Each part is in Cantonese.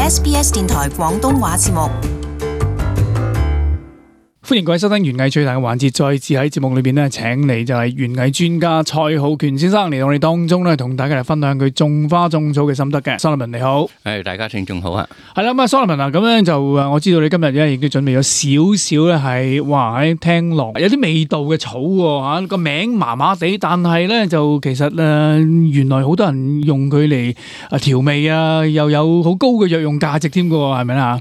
SBS 電台廣東話節目。歡迎各位收聽園藝最大嘅環節，再次喺節目裏邊咧，請嚟就係園藝專家蔡浩權先生嚟到我哋當中咧，同大家嚟分享佢種花種草嘅心得嘅。Solomon 你好，大家聽眾好啊。係啦，咁啊 Solomon 啊，咁樣就我知道你今日咧亦都準備咗少少咧，係哇喺聽落有啲味道嘅草喎嚇，個名麻麻地，但係咧就其實原來好多人用佢嚟調味啊，又有好高嘅藥用價值添嘅喎，係咪啦？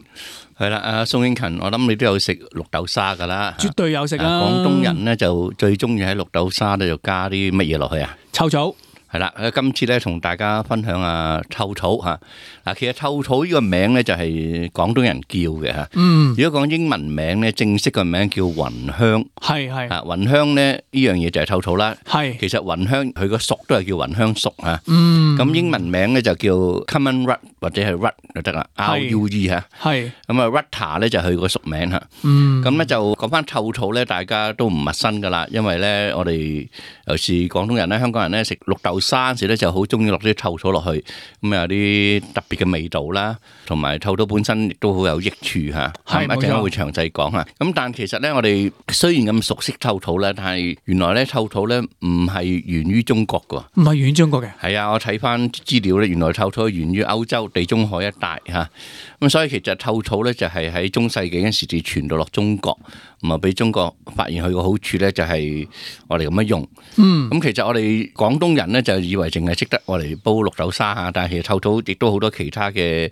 係啦，宋慶勤，我諗你都有食綠豆沙噶啦，絕對有食啊！廣東人咧就最中意喺綠豆沙咧就加啲乜嘢落去啊？臭草。係啦，今次咧同大家分享下臭草嚇。嗱，其實臭草呢個名咧就係廣東人叫嘅嚇。如果講英文名咧，正式個名叫芸香。係。啊，芸香咧呢樣嘢就係臭草啦。係。其實芸香佢個屬都係叫芸香屬嚇。咁英文名咧就叫 common rut 或者係 rut 就得啦。RUE 嚇。係。咁啊 Rutter 咧就係佢個屬名嚇。咁咧就講翻臭草咧，大家都唔陌生噶啦，因為咧我哋尤其是廣東人咧、香港人咧食綠豆沙嗰時咧就好中意落啲臭草落去，咁有啲特別嘅味道啦，同埋臭草本身亦都好有益處嚇。係，一陣間會詳細講嚇。咁但其實咧，我哋雖然咁熟悉臭草咧，但係原來咧臭草咧唔係源於中國㗎。唔係源於中國嘅。係啊，我睇翻資料咧，原來臭草係源於歐洲地中海一帶嚇。咁所以其實臭草咧就係喺中世紀嗰陣時至傳到落中國，咁啊俾中國發現佢個好處咧就係我哋咁樣用。咁其實我哋廣東人咧就以為淨係識得我嚟煲綠豆沙嚇，但係其實臭草亦都好多其他嘅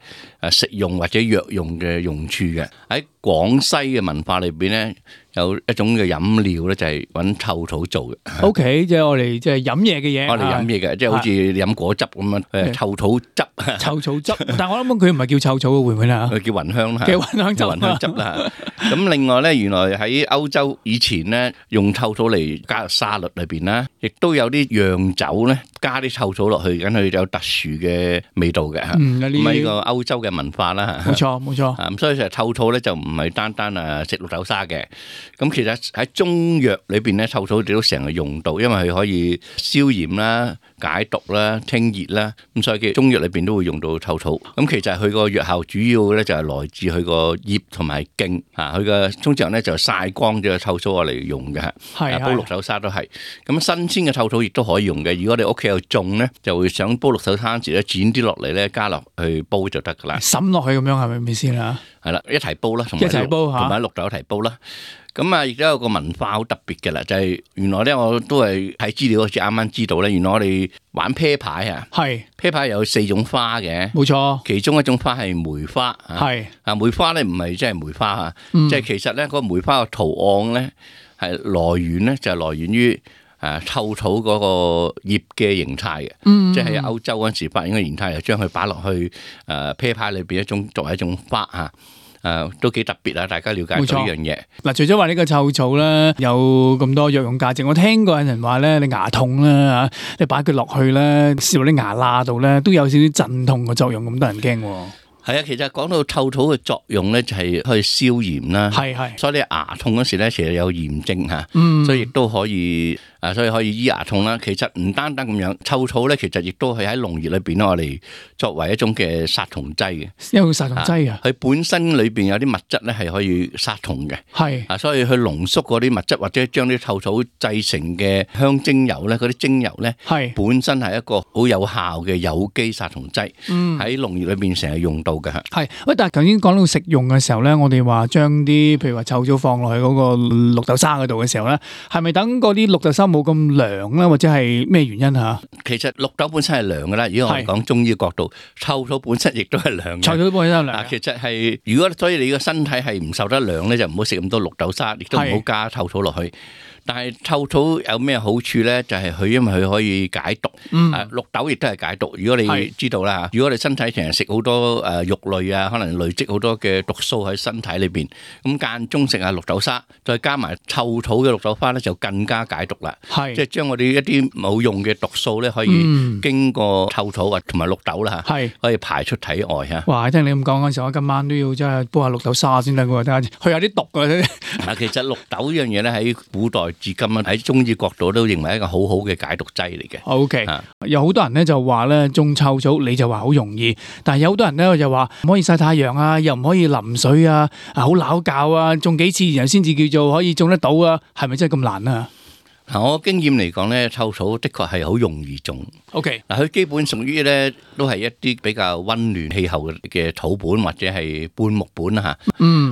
食用或者藥用嘅用處嘅。喺廣西嘅文化裏邊咧，有一種嘅飲料咧就係揾臭草做嘅。OK， 即係我哋即係飲嘢嘅嘢。我哋飲嘢嘅，即係好似飲果汁咁樣，臭草汁。臭草汁，但係我諗佢唔係叫臭草嘅，會唔會咧？佢叫芸香啦。叫芸香汁。芸香汁啦。咁另外咧，原來喺歐洲以前咧，用臭草嚟加入沙律裏邊啦，亦都有啲釀酒咧加啲臭草落去，咁佢有特殊嘅味道嘅嚇。咁呢個歐洲嘅文化啦嚇。冇錯，冇錯。咁所以其實臭草咧就唔係單單食綠豆沙嘅。咁其實喺中藥裏邊咧，臭草亦都成日用到，因為佢可以消炎啦、解毒啦、清熱啦。咁所以嘅中藥裏邊都會用到臭草。咁其實佢個藥效主要咧就係來自佢個葉同埋莖嚇。佢嘅通常咧就曬乾咗臭草嚟用嘅嚇。係。煲綠豆沙都係。咁新鮮嘅臭草亦都可以用嘅。如果你屋企有種咧，就會想煲綠豆沙時咧，剪啲落嚟咧，加落去煲就得噶啦。滲落去咁樣係咪先啊？係啦，一齊煲啦，同埋綠豆一齊煲啦。咁啊，亦都有個文化好特別嘅啦，就係原來咧，我都係睇資料好似啱啱知道咧，原來我哋玩啤牌啊，係啤牌有4種花嘅，冇錯，其中一種花係梅花，係啊，梅花咧唔係即係梅花啊，即係其實咧個梅花嘅圖案咧係來源咧就係來源於臭草嗰個葉嘅形態嘅，即係喺歐洲嗰陣時發現嘅形態，就將佢擺落去啤牌裏邊作為一種花嚇。都幾特別啊！大家了解到呢樣嘢。嗱，除咗話呢個臭草咧有咁多藥用價值，我聽過有人話咧，你牙痛啦嚇，你擺佢落去咧，燒落啲牙罅度咧，都有少少鎮痛嘅作用，咁多人驚喎。係啊，其實講到臭草嘅作用咧，就係可以消炎啦。係。所以你牙痛嗰時咧，其實有炎症嚇，所以亦都可以。所以可以醫牙痛啦。其實唔單單咁樣，臭草咧其實亦都係喺農業裏邊咧，我哋作為一種嘅殺蟲劑嘅。有殺蟲劑啊？佢本身裏邊有啲物質咧係可以殺蟲嘅。係。所以去濃縮嗰啲物質，或者將啲臭草製成嘅香精油咧，嗰啲精油咧，係本身係一個好有效嘅有機殺蟲劑。喺農業裏邊成日用到嘅。係。喂，但係頭先講到食用嘅時候咧，我哋話將啲譬如話臭草放落去嗰個綠豆沙嗰度嘅時候咧，係咪等嗰啲綠豆沙冇咁涼啦，或者係咩原因吓？其實綠豆本身係涼噶啦，如果我哋講中醫角度，臭草本身亦都係涼嘅。臭草本身係涼。其實係如果所以你個身體係唔受得涼咧，就唔好食咁多綠豆沙，亦都唔好加臭草落去。但係臭草有咩好處咧？就係佢因為佢可以解毒，綠豆亦都係解毒。如果你知道啦，如果你身體成日食好多肉類啊，可能累積好多嘅毒素喺身體裏邊，咁間中食下綠豆沙，再加埋臭草嘅綠豆花咧，就更加解毒啦。即係將我哋一啲冇用嘅毒素咧，可以經過臭草啊同埋綠豆啦嚇，可以排出體外嚇。哇！聽你咁講嗰陣時，我今晚都要真係煲下綠豆沙先得喎，睇下去下啲毒㗎。嗱，其實綠豆呢樣嘢咧喺古代至今啊，喺中醫角度都認為一個好好嘅解毒劑嚟嘅。OK，有好多人咧就話咧種臭草，你就話好容易，但係有好多人咧就話唔可以曬太陽啊，又唔可以淋水啊，好撈教啊，種幾次然後先至叫做可以種得到啊，係咪真係咁難啊？嗱，我經驗嚟講咧，臭草的確係好容易種。OK，嗱，佢基本屬於咧都係一啲比較溫暖氣候嘅土本或者係半木本啦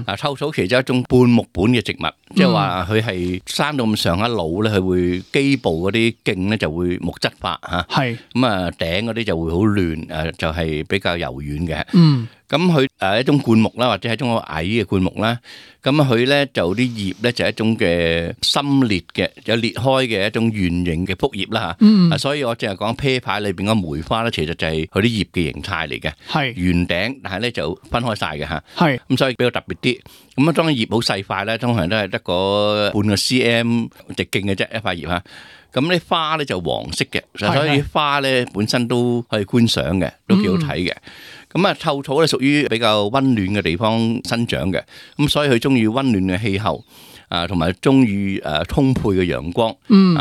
嚇。臭草其實係一種半木本嘅植物，即係話佢係生到咁上下老咧，佢會基部嗰啲莖咧就會木質化嚇。係咁啊，頂嗰啲就會好嫩，就係比較柔軟嘅。咁佢一種灌木啦，或者係一種矮嘅灌木啦。咁佢咧就啲葉咧就係一種嘅深裂嘅，有裂開嘅一種圓形嘅覆葉啦嚇。所以我淨係講啤牌裏邊個梅花咧，其實就係佢啲葉嘅形態嚟嘅。係圓頂，但係咧就分開晒嘅嚇。係咁，所以比較特別啲。咁啊，當然葉好細塊咧，通常都係得個半個 cm 直徑嘅啫，一塊葉嚇。咁啲花咧就黃色嘅，所以花咧本身都可以觀賞嘅，都幾好睇嘅。咁啊，臭草咧屬於比較溫暖嘅地方生長嘅，咁所以佢中意溫暖嘅氣候，同埋中意充沛嘅陽光，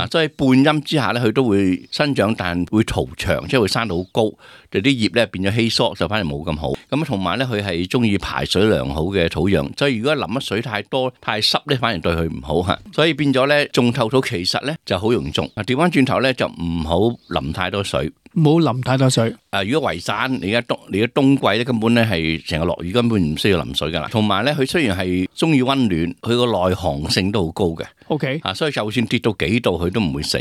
所以半陰之下咧，佢都會生長，但會嘈長，即係會生到好高，就啲葉咧變咗稀疏，就反而冇咁好。咁同埋咧，佢係中意排水良好嘅土壤，所以如果淋乜水太多、太濕咧，反而對佢唔好嚇。所以變咗咧，種臭草其實咧就好容易種。調翻轉頭咧，就唔好淋太多水。冇淋太多水。如果圍山，你而家冬季咧，根本咧係成日落雨，根本唔需要淋水噶啦。同埋咧，佢雖然係中意溫暖，佢個耐寒性都好高嘅。OK，所以就算跌到幾度，佢都唔會死。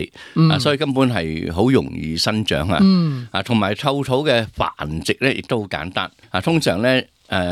所以根本係好容易生長啊。同埋臭草嘅繁殖咧，亦都好簡單。通常咧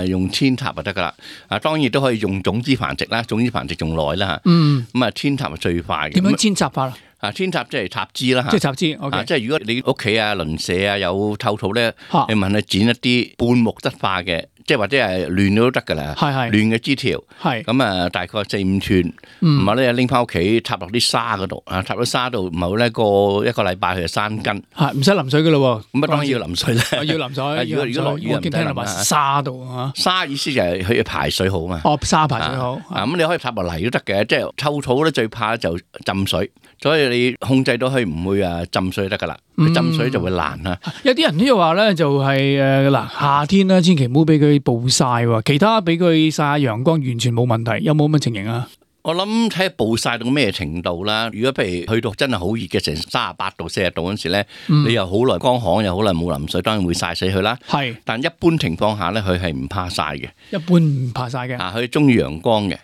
用扦插就得噶啦。當然都可以用種子繁殖啦，種子繁殖仲耐啦嚇。咁啊，扦插係最快嘅。點樣扦插法啊？扦插即係插枝啦嚇，即係插枝。OK，即係如果你屋企啊、鄰舍啊有臭草咧，你問佢剪一啲半木質化嘅，即係或者係亂咗都得噶啦，亂嘅枝條。係咁啊，大概4-5寸，唔係咧拎翻屋企插落啲沙嗰度插到沙度，唔係咧過一個禮拜佢就生根。係唔使淋水噶咯喎，咁啊當然要淋水啦。要淋水。如果落雨我見聽人話沙度嚇。沙意思就係佢要排水好嘛。哦，沙排水好。咁你可以插落泥都得嘅，即係臭草咧最怕就浸水。所以你控制到佢唔會浸水得噶啦，浸水就會爛啦。有啲人都話咧，就係夏天咧，千祈唔好俾佢暴曬喎，其他俾佢曬下陽光完全冇問題，有冇咁嘅情形啊？我諗睇下暴曬到咩程度啦。如果譬如去到真係好熱嘅，成38度、40度嗰陣時咧，你又好耐乾旱，又好耐冇淋水，當然會曬死佢啦。係，但一般情況下咧，佢係唔怕曬嘅。一般唔怕曬嘅。佢中意陽光嘅。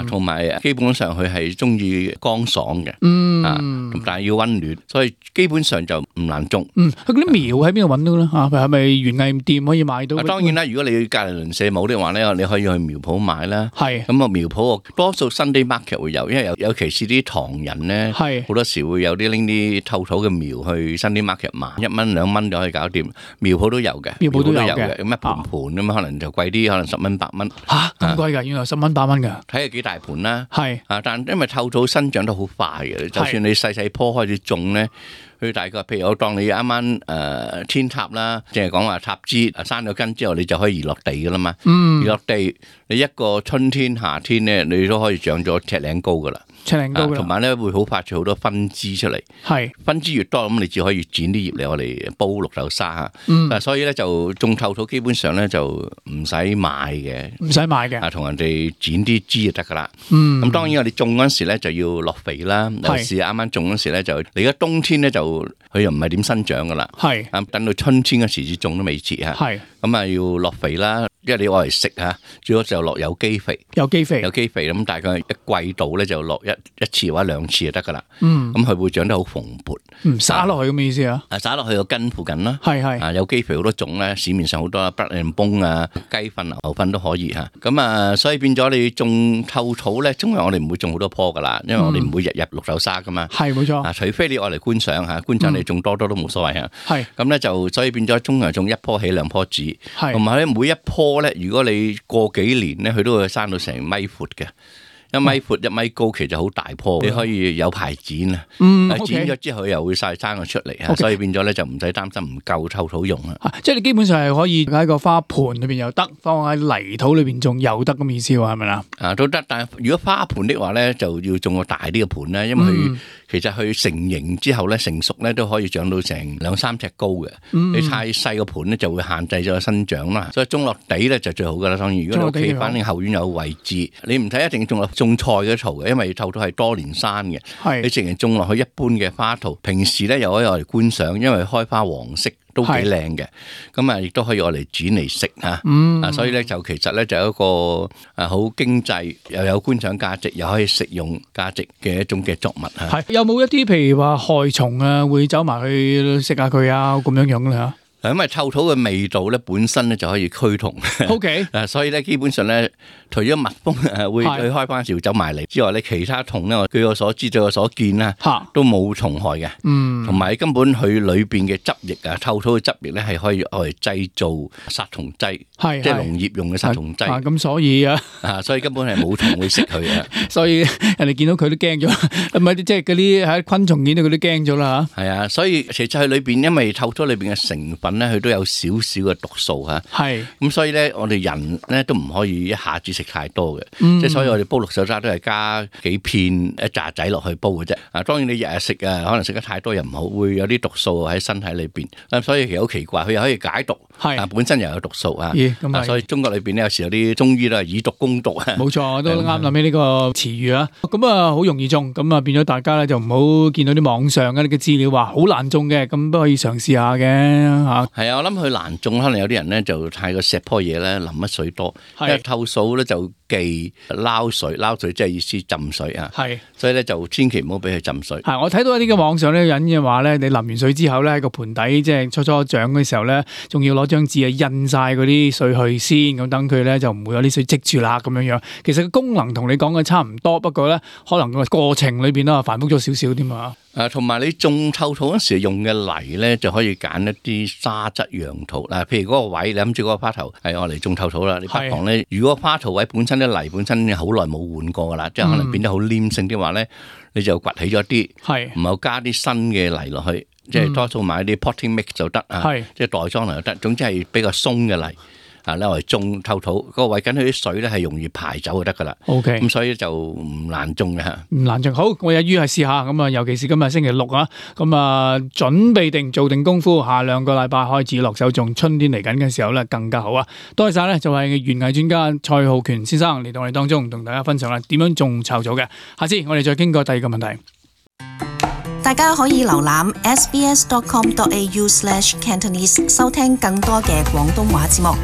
同埋基本上佢係中意乾爽嘅。但係要溫暖，所以基本上就唔難種。佢嗰啲苗喺邊度揾到咧？係咪園藝店可以買到？當然啦，如果你隔離鄰舍冇的話咧，你可以去苗圃買啦。係。咁啊，苗圃多數Sunday market會有，因為尤其是啲唐人咧，好多時會有啲拎啲臭草嘅苗去Sunday market買，1蚊2蚊就可以搞掂。苗圃都有嘅，苗圃都有嘅。咁一盤盤咁可能就貴啲，可能10蚊8蚊。嚇咁貴㗎？原來10蚊8蚊㗎？睇下幾大盤啦。係。但因為臭草生長得好快嘅，就算你細棵開始種咧，佢大概譬如我當你啱啱扦插啦，淨係講話插枝生咗根之後，你就可以移落地噶啦嘛。移落地，你一個春天夏天咧，你都可以長咗尺零高噶啦。尺零高同埋咧會好發出好多分枝出嚟。係分枝越多，咁你只可以剪啲葉嚟我哋煲綠豆沙嚇。所以咧就種臭草基本上咧就唔使買嘅，唔使買嘅。同人哋剪啲枝就得噶啦。咁當然我哋種嗰陣時咧就要落肥啦。有時啱啱種嗰時咧就，你而家冬天咧就佢又唔係點生長噶啦。係等到春天嗰時至種都未遲嚇。係咁啊要落肥啦。因為你愛嚟食嚇，最好就落有機肥。有機肥咁，大概一季度咧就落一次或者2次就得噶啦。咁佢會長得好蓬勃。撒落去咁嘅意思啊？撒落去個根附近啦。係有機肥好多種咧，市面上好多Blood and Bone啊、雞糞、牛糞都可以嚇。咁所以變咗你種臭草咧，通常我哋唔會種好多棵噶啦，因為我哋唔會日日綠豆沙噶嘛。係冇錯。除非你愛嚟觀賞嚇，觀賞你種多都冇所謂嚇。係咁咧就所以變咗通常種1棵起2棵止。係同埋咧每一棵咧，如果你過幾年咧，佢都會生到成米闊嘅， 1米闊1米高，其實好大棵，你可以有排剪啊。剪咗之後又會晒生咗出嚟啊，所以變咗咧就唔使擔心唔夠臭土用啊。即係你基本上係可以喺個花盆裏邊又得，放喺泥土裏邊種又得咁意思喎，係咪啦？都得，但係如果花盆的話咧，就要種個大啲嘅盆啦，因為佢其實佢成形之後咧，成熟咧都可以長到成2-3尺高嘅。你太細個盆咧就會限制咗個生長啦，所以種落地咧就最好噶啦。當然，如果你屋企反正後院有位置，你唔使一定種落種菜嗰啲槽嘅，因為臭土係多年生嘅。你淨係種落去一般嘅花圖，平時咧又可以攞嚟觀賞，因為開花黃色都幾靚嘅。咁啊，亦都可以攞嚟剪嚟食嚇。所以咧就其實咧就有一個好經濟又有觀賞價值，又可以食用價值嘅一種嘅作物嚇。有冇一啲譬如話害蟲啊，會走埋去食下佢啊咁樣樣咧嚇？因為臭土嘅味道咧本身咧就可以驅蟲。OK， 所以咧基本上咧，除咗蜜蜂會去開花時走埋嚟之外咧，其他蟲咧，據我所知、據我所見啦，都冇蟲害嘅。同埋根本佢裏邊嘅汁液啊，臭土嘅汁液咧係可以嚟製造殺蟲劑，即係農業用嘅殺蟲劑。咁所以所以根本係冇蟲會食佢嘅。所以人哋見到佢都驚咗，唔係即係嗰啲喺昆蟲見到佢都驚咗啦嚇。係啊，所以其實佢裏邊因為臭土裏邊嘅成分咧，佢都有少少嘅毒素嚇。咁所以咧，我哋人咧都唔可以一下子食太多嘅。即係所以我哋煲綠豆沙都係加幾片一紮仔落去煲嘅啫。當然你日日食可能食得太多又唔好，會有啲毒素喺身體裏邊。所以其實好奇怪，佢又可以解毒，本身又有毒素啊。所以中國裏邊咧有時有啲中醫都係以毒攻毒啊。冇錯，都啱諗起呢個詞語啊。咁啊好容易中，咁啊變咗大家咧就唔好見到啲網上嘅資料話好難中嘅，咁都可以嘗試下嘅嚇。係啊，我諗佢難中，可能有啲人咧就太過錫棵嘢咧，淋乜水多。因為臭掃咧就忌撈水，撈水即係意思浸水啊。所以咧就千祈唔好俾佢浸水。我睇到一啲嘅網上咧人嘅話咧，你淋完水之後咧喺個盆底即係初長嘅時候咧，仲要攞張紙印晒嗰啲水去先，咁等佢咧就唔會有啲水積住啦咁樣樣。其實個功能同你講嘅差唔多，不過咧可能個過程裏邊咧繁複咗少少添嘛。同埋你種臭土嗰時用嘅泥咧，就可以揀一啲沙質楊土嗱，譬如嗰個位，你諗住嗰個花頭係我嚟種臭土啦，你不妨咧，如果花頭位本身啲泥本身好耐冇換過噶啦，即係可能變得好黏性啲話咧，你就掘起咗啲，然後加啲新嘅泥落去，即係多數買啲 potting mix 就得啊，即係袋裝泥就得，總之係比較鬆嘅泥。你嚟種臭土，嗰個位緊佢啲水咧係容易排走就得噶啦。OK，咁所以就唔難種嘅嚇。唔難種，好，我有於係試下咁啊，尤其是今日星期六啊，咁啊準備定做定功夫，下2個禮拜開始落手種，春天嚟緊嘅時候咧更加好啊！多謝晒咧，就係園藝專家蔡浩權先生嚟到我哋當中同大家分享啦，點樣種臭草嘅。下次我哋再傾過第2個問題。大家可以瀏覽 sbs.com.au/cantonese 收聽更多嘅廣東話節目。